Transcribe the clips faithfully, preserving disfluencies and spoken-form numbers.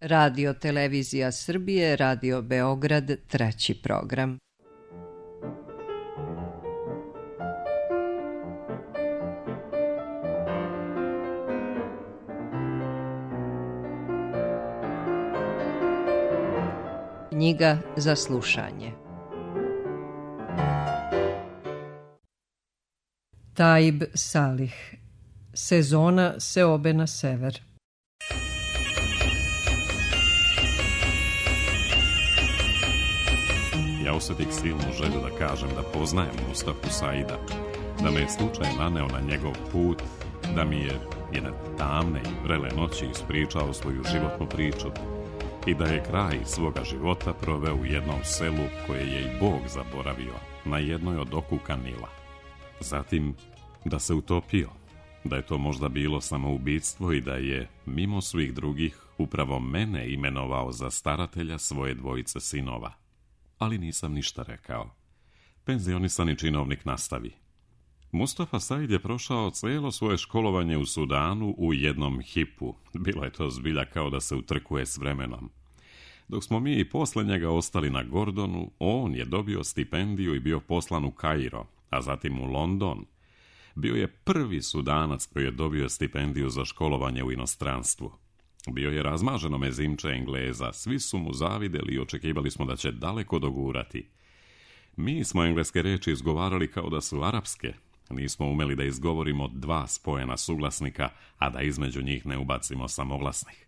Radio Televizija Srbije, Radio Beograd, treći program. Knjiga za slušanje. Taib Salih. Sezona seobe na sever. Ja osjetih silnu želju da kažem da poznajem Mustafu Saida, da me je slučaj naneo na njegov put, da mi je jedne tamne i vrele noći ispričao svoju životnu priču i da je kraj svoga života proveo u jednom selu koje je i Bog zaboravio, na jednoj od okuka Nila. Zatim da se utopio, da je to možda bilo samoubistvo i da je, mimo svih drugih, upravo mene imenovao za staratelja svoje dvojice sinova. Ali nisam ništa rekao. Penzionisani činovnik nastavi. Mustafa Said je prošao cijelo svoje školovanje u Sudanu u jednom hipu. Bilo je to zbilja kao da se utrkuje s vremenom. Dok smo mi i posle njega ostali na Gordonu, on je dobio stipendiju i bio poslan u Kairo, a zatim u London. Bio je prvi Sudanac koji je dobio stipendiju za školovanje u inostranstvu. Bio je razmaženo mezimče Engleza, svi su mu zavideli i očekivali smo da će daleko dogurati. Mi smo engleske reči izgovarali kao da su arapske. Nismo umeli da izgovorimo dva spojena suglasnika, a da između njih ne ubacimo samoglasnih.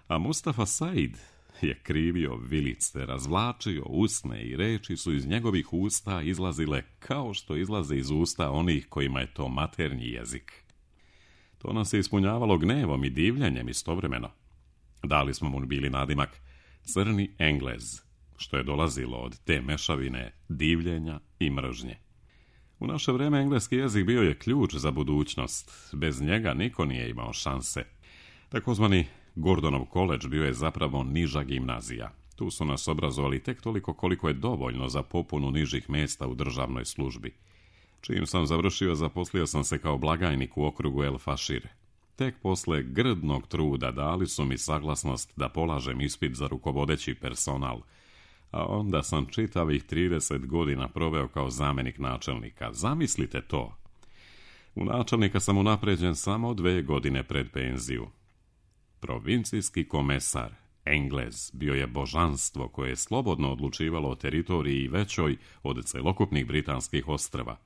A Mustafa Said je krivio vilice, razvlačio usne i reči su iz njegovih usta izlazile kao što izlaze iz usta onih kojima je to maternji jezik. To nas je ispunjavalo gnevom i divljenjem istovremeno. Dali smo mu bili nadimak Crni Englez, što je dolazilo od te mešavine divljenja i mržnje. U naše vreme engleski jezik bio je ključ za budućnost. Bez njega niko nije imao šanse. Takozvani Gordonov koledž bio je zapravo niža gimnazija. Tu su nas obrazovali tek toliko koliko je dovoljno za popunu nižih mjesta u državnoj službi. Čim sam završio, zaposlio sam se kao blagajnik u okrugu El Fašir. Tek posle grdnog truda dali su mi saglasnost da polažem ispit za rukovodeći personal, a onda sam čitavih trideset godina proveo kao zamjenik načelnika. Zamislite to! U načelnika sam unapređen samo dve godine pred penziju. Provincijski komesar, Englez, bio je božanstvo koje je slobodno odlučivalo o teritoriji većoj od celokupnih britanskih ostrva,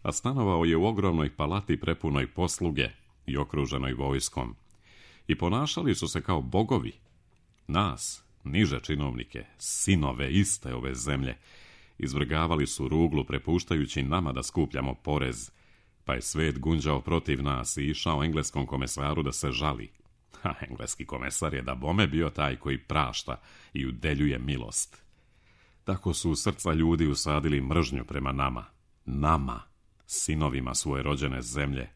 a stanovao je u ogromnoj palati prepunoj posluge i okruženoj vojskom. I ponašali su se kao bogovi. Nas, niže činovnike, sinove iste ove zemlje, izvrgavali su ruglu prepuštajući nama da skupljamo porez, pa je svet gunđao protiv nas i išao engleskom komesaru da se žali. A engleski komesar je da bome bio taj koji prašta i udeljuje milost. Tako su u srca ljudi usadili mržnju prema nama, nama, sinovima svoje rođene zemlje,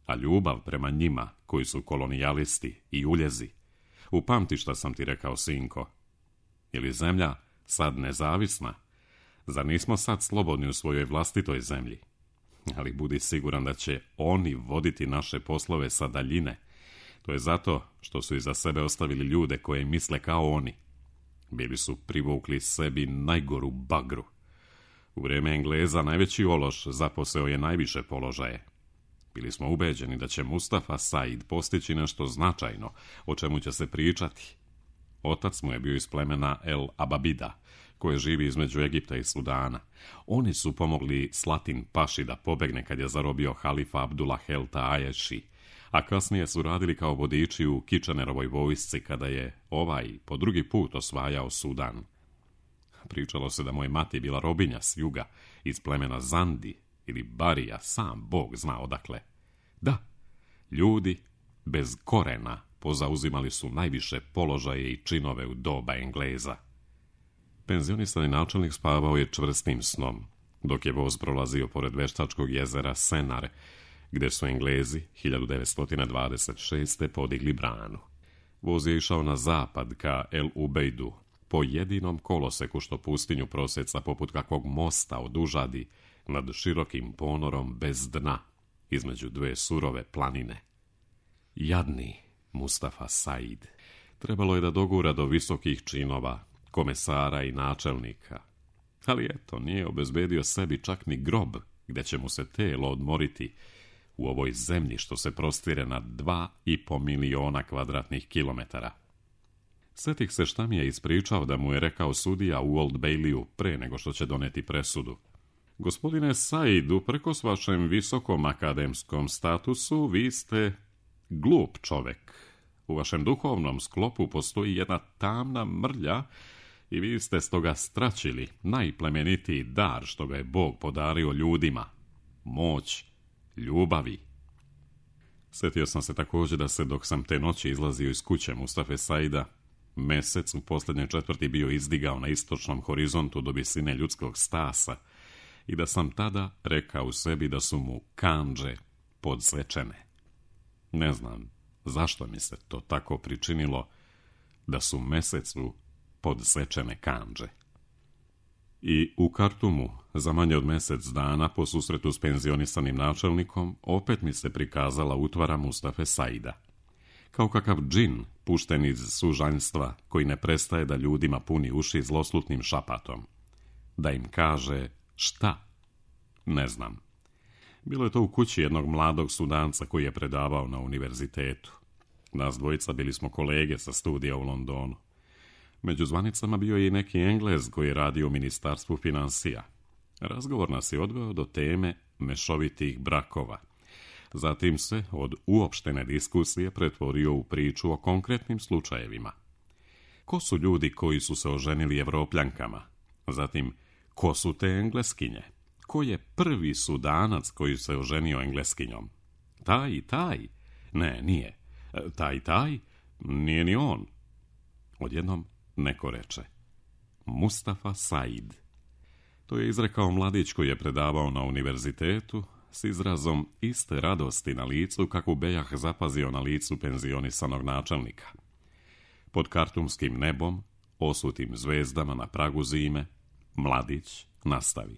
a ljubav prema njima, koji su kolonijalisti i uljezi. Upamti šta sam ti rekao, sinko. Ili zemlja sad nezavisna? Zar nismo sad slobodni u svojoj vlastitoj zemlji? Ali budi siguran da će oni voditi naše poslove sa daljine. To je zato što su iza sebe ostavili ljude koje misle kao oni. Bili su privukli sebi najgoru bagru. U vrijeme Engleza najveći ološ zaposeo je najviše položaje. Bili smo ubeđeni da će Mustafa Said postići nešto značajno, o čemu će se pričati. Otac mu je bio iz plemena El Ababida, koje živi između Egipta i Sudana. Oni su pomogli Slatin Paši da pobegne kad je zarobio halifa Abdullah Helta Aješi, a kasnije su radili kao vodiči u Kitchenerovoj vojsci kada je ovaj po drugi put osvajao Sudan. Pričalo se da moja mati bila robinja s juga, iz plemena Zandi ili Barija, sam Bog zna odakle. Da, ljudi bez korena pozauzimali su najviše položaje i činove u doba Engleza. Penzionisani načelnik spavao je čvrstim snom, dok je voz prolazio pored veštačkog jezera Senar, gdje su Englezi hiljadu devetsto dvadeset šeste. podigli branu. Voz je išao na zapad ka El Ubejdu, po jedinom koloseku što pustinju proseca poput kakvog mosta odužadi nad širokim ponorom bez dna, između dve surove planine. Jadni Mustafa Said. Trebalo je da dogura do visokih činova, komesara i načelnika. Ali eto, nije obezbedio sebi čak ni grob gdje će mu se telo odmoriti u ovoj zemlji što se prostire na dva i po miliona kvadratnih kilometara. Sjetih se šta mi je ispričao da mu je rekao sudija u Old Bayleyu pre nego što će doneti presudu. Gospodine Said, uprkos vašem visokom akademskom statusu, vi ste glup čovek. U vašem duhovnom sklopu postoji jedna tamna mrlja i vi ste stoga stračili najplemenitiji dar što ga je Bog podario ljudima. Moć ljubavi. Sjetio sam se također da se dok sam te noći izlazio iz kuće Mustafe Saida, mesec u posljednjoj četvrti bio izdigao na istočnom horizontu do visine ljudskog stasa i da sam tada rekao u sebi da su mu kandže podsečene. Ne znam zašto mi se to tako pričinilo da su mesecu podsečene kandže. I u Kartumu, za manje od mjesec dana, po susretu s penzionisanim načelnikom, opet mi se prikazala utvara Mustafe Saida. Kao kakav džin, pušten iz sužanjstva, koji ne prestaje da ljudima puni uši zloslutnim šapatom. Da im kaže šta? Ne znam. Bilo je to u kući jednog mladog Sudanca koji je predavao na univerzitetu. Nas dvojica bili smo kolege sa studija u Londonu. Među zvanicama bio je i neki Englez koji je radio u ministarstvu financija. Razgovor nas je odveo do teme mešovitih brakova. Zatim se od uopštene diskusije pretvorio u priču o konkretnim slučajevima. Ko su ljudi koji su se oženili Evropljankama? Zatim, ko su te Engleskinje? Ko je prvi Sudanac koji se oženio Engleskinjom? Taj i taj? Ne, nije. Taj i taj? Nije ni on. Odjednom neko reče: Mustafa Said. To je izrekao mladić koji je predavao na univerzitetu s izrazom iste radosti na licu kakvu bejah zapazio na licu penzionisanog načelnika. Pod kartumskim nebom, osutim zvezdama na pragu zime, mladić nastavi: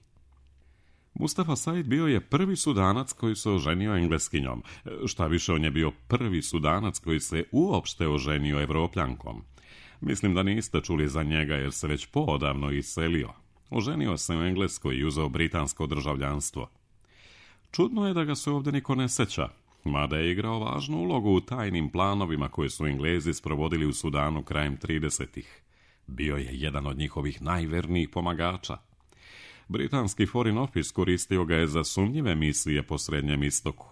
Mustafa Said bio je prvi Sudanac koji se oženio Engleskinjom. Šta više, on je bio prvi Sudanac koji se uopšte oženio Evropljankom. Mislim da niste čuli za njega jer se već poodavno iselio. Oženio se u Engleskoj i uzeo britansko državljanstvo. Čudno je da ga se ovdje niko ne seća, mada je igrao važnu ulogu u tajnim planovima koje su Englezi sprovodili u Sudanu krajem tridesetih. Bio je jedan od njihovih najvernijih pomagača. Britanski Foreign Office koristio ga je za sumnjive misije po Srednjem istoku.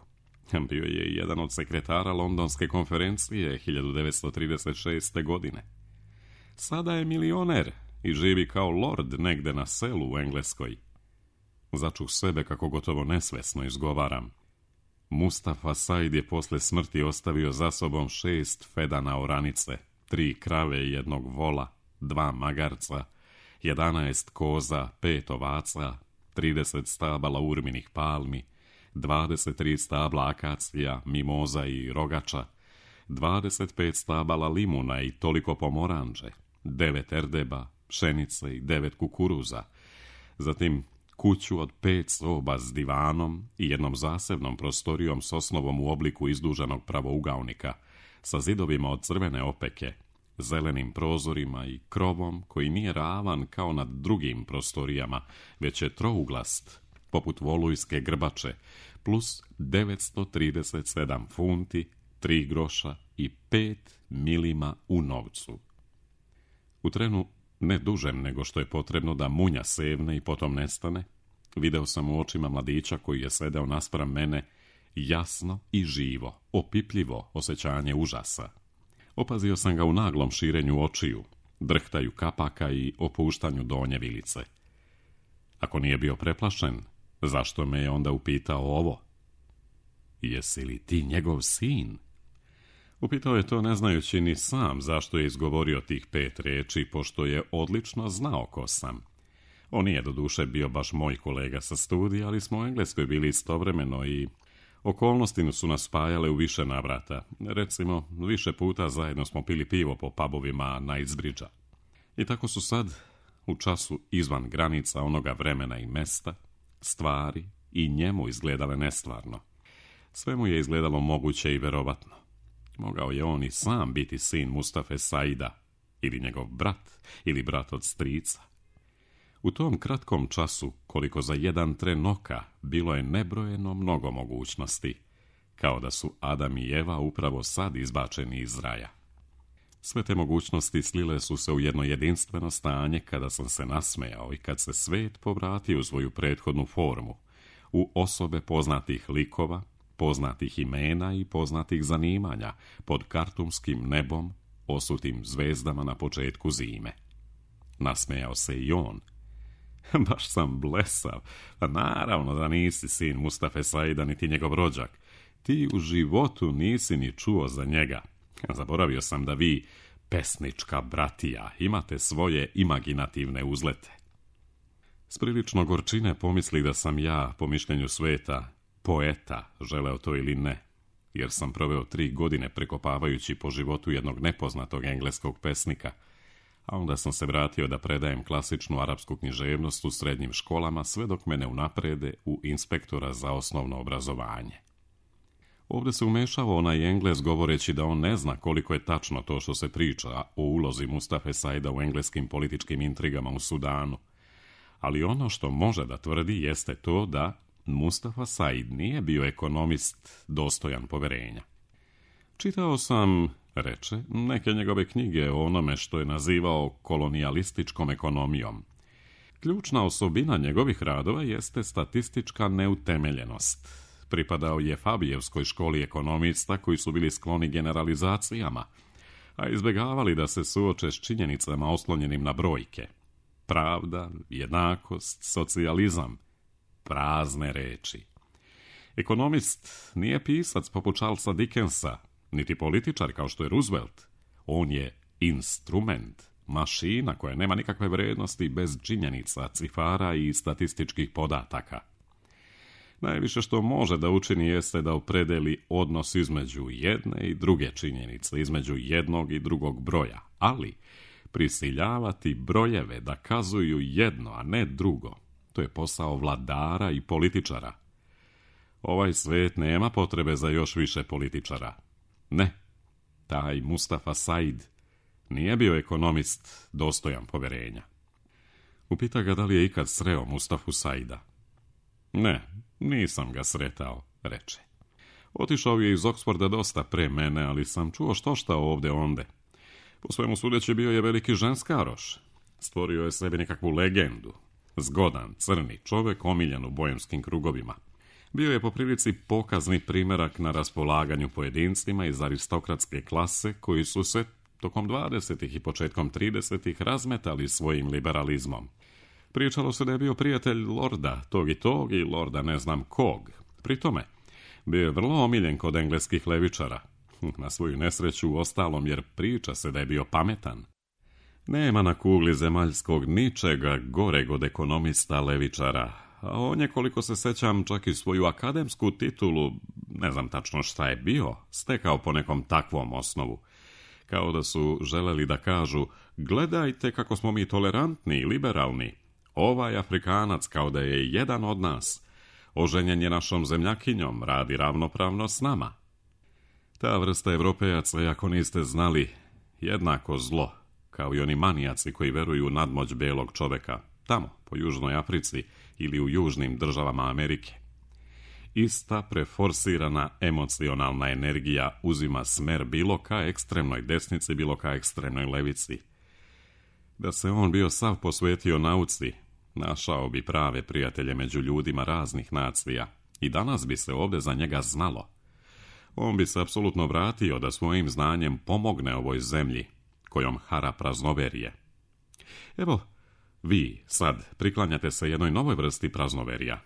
Bio je i jedan od sekretara Londonske konferencije hiljadu devetsto trideset šeste. godine. Sada je milioner i živi kao lord negde na selu u Engleskoj. Začuh sebe kako gotovo nesvesno izgovaram. Mustafa Said je posle smrti ostavio za sobom šest fedana oranice, tri krave i jednog vola, dva magarca, jedanaest koza, pet ovaca, trideset stabala urminih palmi, dvadeset tri stabla akacija, mimoza i rogača, dvadeset pet stabala limuna i toliko pomoranđe, devet erdeba, pšenice i devet kukuruza, zatim kuću od pet soba s divanom i jednom zasebnom prostorijom s osnovom u obliku izduženog pravougaonika, sa zidovima od crvene opeke, zelenim prozorima i krovom koji nije ravan kao nad drugim prostorijama, već je trouglast, poput volujske grbače, plus devetsto trideset sedam funti, tri groša i pet milima u novcu. U trenu, ne dužem nego što je potrebno da munja sevne i potom nestane, video sam u očima mladića koji je sedeo naspram mene jasno i živo, opipljivo osjećanje užasa. Opazio sam ga u naglom širenju očiju, drhtaju kapaka i opuštanju donje vilice. Ako nije bio preplašen, zašto me je onda upitao ovo? Jesi li ti njegov sin? Upitao je to ne znajući ni sam zašto je izgovorio tih pet riječi, pošto je odlično znao ko sam. On nije doduše bio baš moj kolega sa studija, ali smo u Engleskoj bili istovremeno i okolnosti su nas spajale u više navrata. Recimo, više puta zajedno smo pili pivo po pubovima Knightsbridgea. I tako su sad, u času izvan granica onoga vremena i mesta, stvari i njemu izgledale nestvarno. Sve mu je izgledalo moguće i verovatno. Mogao je on i sam biti sin Mustafe Saida, ili njegov brat, ili brat od strica. U tom kratkom času, koliko za jedan tren oka, bilo je nebrojeno mnogo mogućnosti, kao da su Adam i Eva upravo sad izbačeni iz raja. Sve te mogućnosti slile su se u jedno jedinstveno stanje kada sam se nasmejao i kad se svet povratio u svoju prethodnu formu, u osobe poznatih likova, poznatih imena i poznatih zanimanja, pod kartumskim nebom, osutim zvezdama na početku zime. Nasmejao se i on. Baš sam blesav, pa naravno da nisi sin Mustafe Saida niti njegov rođak. Ti u životu nisi ni čuo za njega. Zaboravio sam da vi, pesnička bratija, imate svoje imaginativne uzlete. S prilično gorčine pomisli da sam ja, po mišljenju sveta, poeta, želeo to ili ne, jer sam proveo tri godine prekopavajući po životu jednog nepoznatog engleskog pesnika, a onda sam se vratio da predajem klasičnu arapsku književnost u srednjim školama sve dok me ne unaprede u inspektora za osnovno obrazovanje. Ovdje se umešao onaj Engles govoreći da on ne zna koliko je tačno to što se priča o ulozi Mustafe Saida u engleskim političkim intrigama u Sudanu, ali ono što može da tvrdi jeste to da Mustafa Said nije bio ekonomist dostojan poverenja. Čitao sam, reče, neke njegove knjige o onome što je nazivao kolonijalističkom ekonomijom. Ključna osobina njegovih radova jeste statistička neutemeljenost. Pripadao je Fabijevskoj školi ekonomista koji su bili skloni generalizacijama, a izbjegavali da se suoče s činjenicama oslonjenim na brojke. Pravda, jednakost, socijalizam, prazne reči. Ekonomist nije pisac poput Charlesa Dickensa, niti političar kao što je Roosevelt. On je instrument, mašina koja nema nikakve vrednosti bez činjenica, cifara i statističkih podataka. Najviše što može da učini jeste da opredeli odnos između jedne i druge činjenice, između jednog i drugog broja, ali prisiljavati brojeve da kazuju jedno, a ne drugo, to je posao vladara i političara. Ovaj svet nema potrebe za još više političara. Ne, taj Mustafa Said nije bio ekonomist dostojan poverenja. Upita ga da li je ikad sreo Mustafu Saida. Ne, nisam ga sretao, reče. Otišao je iz Oksforda dosta pre mene, ali sam čuo što šta ovde onde. Po svemu sudeći bio je veliki ženskaroš. Stvorio je sebi nekakvu legendu. Zgodan, crni čovek, omiljen u bojemskim krugovima. Bio je po prilici pokazni primerak na raspolaganju pojedincima iz aristokratske klase koji su se tokom dvadesetih i početkom tridesetih razmetali svojim liberalizmom. Pričalo se da je bio prijatelj lorda tog i tog i lorda ne znam kog. Pri tome, bio je vrlo omiljen kod engleskih levičara. Na svoju nesreću u ostalom, jer priča se da je bio pametan. Nema na kugli zemaljskog ničega goreg od ekonomista levičara, a on je, koliko se sećam, čak i svoju akademsku titulu, ne znam tačno šta je bio, stekao po nekom takvom osnovu. Kao da su želeli da kažu, gledajte kako smo mi tolerantni i liberalni. Ovaj Afrikanac kao da je jedan od nas. Oženjen je našom zemljakinjom, radi ravnopravno s nama. Ta vrsta Evropejaca, ako niste znali, jednako zlo, kao i oni manijaci koji veruju u nadmoć belog čoveka, tamo, po Južnoj Africi ili u južnim državama Amerike. Ista preforsirana emocionalna energija uzima smer bilo ka ekstremnoj desnici, bilo ka ekstremnoj levici. Da se on bio sav posvetio nauci, našao bi prave prijatelje među ljudima raznih nacija i danas bi se ovdje za njega znalo. On bi se apsolutno vratio da svojim znanjem pomogne ovoj zemlji, kojom hara praznoverije. Evo, vi sad priklanjate se jednoj novoj vrsti praznoverija.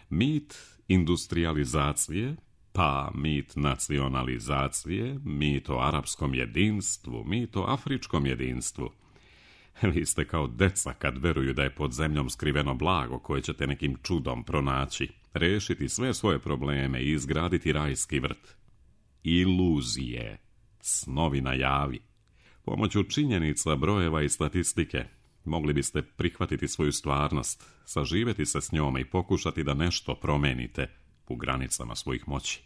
Mit industrializacije, pa mit nacionalizacije, mit o arapskom jedinstvu, mit o afričkom jedinstvu. Vi ste kao deca kad veruju da je pod zemljom skriveno blago koje ćete nekim čudom pronaći, rešiti sve svoje probleme i izgraditi rajski vrt. Iluzije, snovi na javi. Pomoću činjenica, brojeva i statistike mogli biste prihvatiti svoju stvarnost, saživeti se s njome i pokušati da nešto promenite u granicama svojih moći.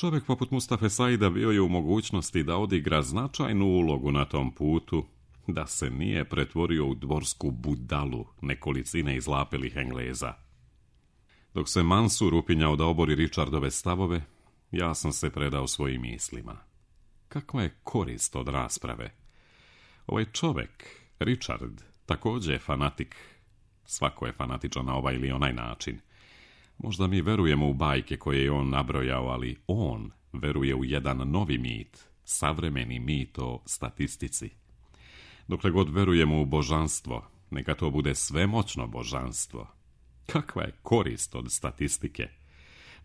Čovjek poput Mustafe Saida bio je u mogućnosti da odigra značajnu ulogu na tom putu, da se nije pretvorio u dvorsku budalu nekolicine izlapelih Engleza. Dok se Mansur upinjao da obori Richardove stavove, ja sam se predao svojim mislima. Kakva je korist od rasprave? Ovaj čovjek, Richard, također je fanatik. Svako je fanatičan na ovaj ili onaj način. Možda mi verujemo u bajke koje je on nabrojao, ali on veruje u jedan novi mit, savremeni mit o statistici. Dokle god verujemo u božanstvo, neka to bude svemoćno božanstvo. Kakva je korist od statistike?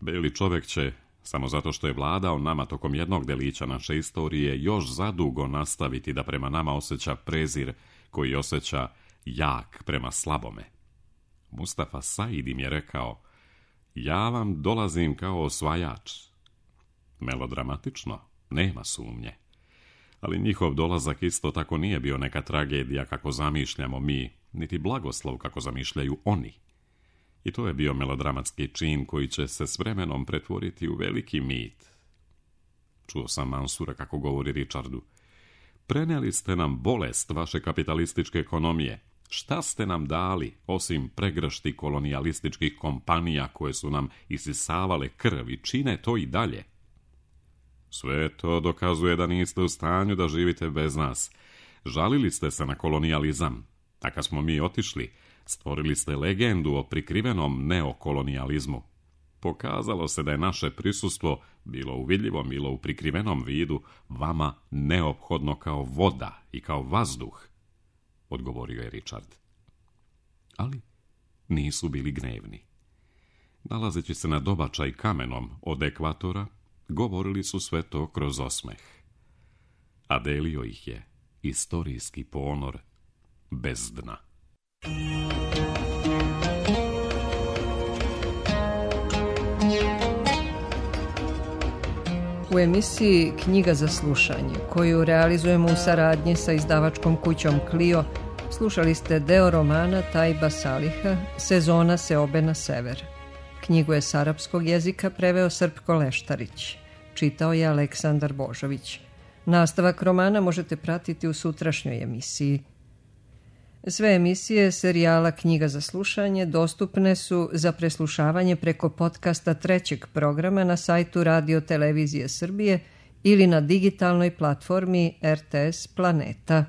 Beli čovjek će, samo zato što je vladao nama tokom jednog delića naše istorije, još zadugo nastaviti da prema nama osjeća prezir koji osjeća jak prema slabome. Mustafa Said im je rekao: ja vam dolazim kao osvajač. Melodramatično, nema sumnje. Ali njihov dolazak isto tako nije bio neka tragedija kako zamišljamo mi, niti blagoslov kako zamišljaju oni. I to je bio melodramatski čin koji će se s vremenom pretvoriti u veliki mit. Čuo sam Mansura kako govori Richardu: prenijeli ste nam bolest vaše kapitalističke ekonomije. Šta ste nam dali, osim pregršti kolonijalističkih kompanija koje su nam isisavale krv i čine to i dalje? Sve to dokazuje da niste u stanju da živite bez nas. Žalili ste se na kolonijalizam, a kad smo mi otišli, stvorili ste legendu o prikrivenom neokolonijalizmu. Pokazalo se da je naše prisustvo, bilo u vidljivom, bilo u prikrivenom vidu, vama neophodno kao voda i kao vazduh, odgovorio je Richard. Ali nisu bili gnevni. Nalazeći se na dobačaj kamenom od ekvatora, govorili su sve to kroz osmeh. A delio ih je istorijski ponor bez dna. U emisiji Knjiga za slušanje, koju realizujemo u saradnji sa izdavačkom kućom Clio, slušali ste deo romana Tajba Saliha Sezona seobe na sever. Knjigu je s arapskog jezika preveo Srpko Leštarić. Čitao je Aleksandar Božović. Nastavak romana možete pratiti u sutrašnjoj emisiji. Sve emisije serijala Knjiga za slušanje dostupne su za preslušavanje preko podcasta trećeg programa na sajtu Radio Televizije Srbije ili na digitalnoj platformi R T S Planeta.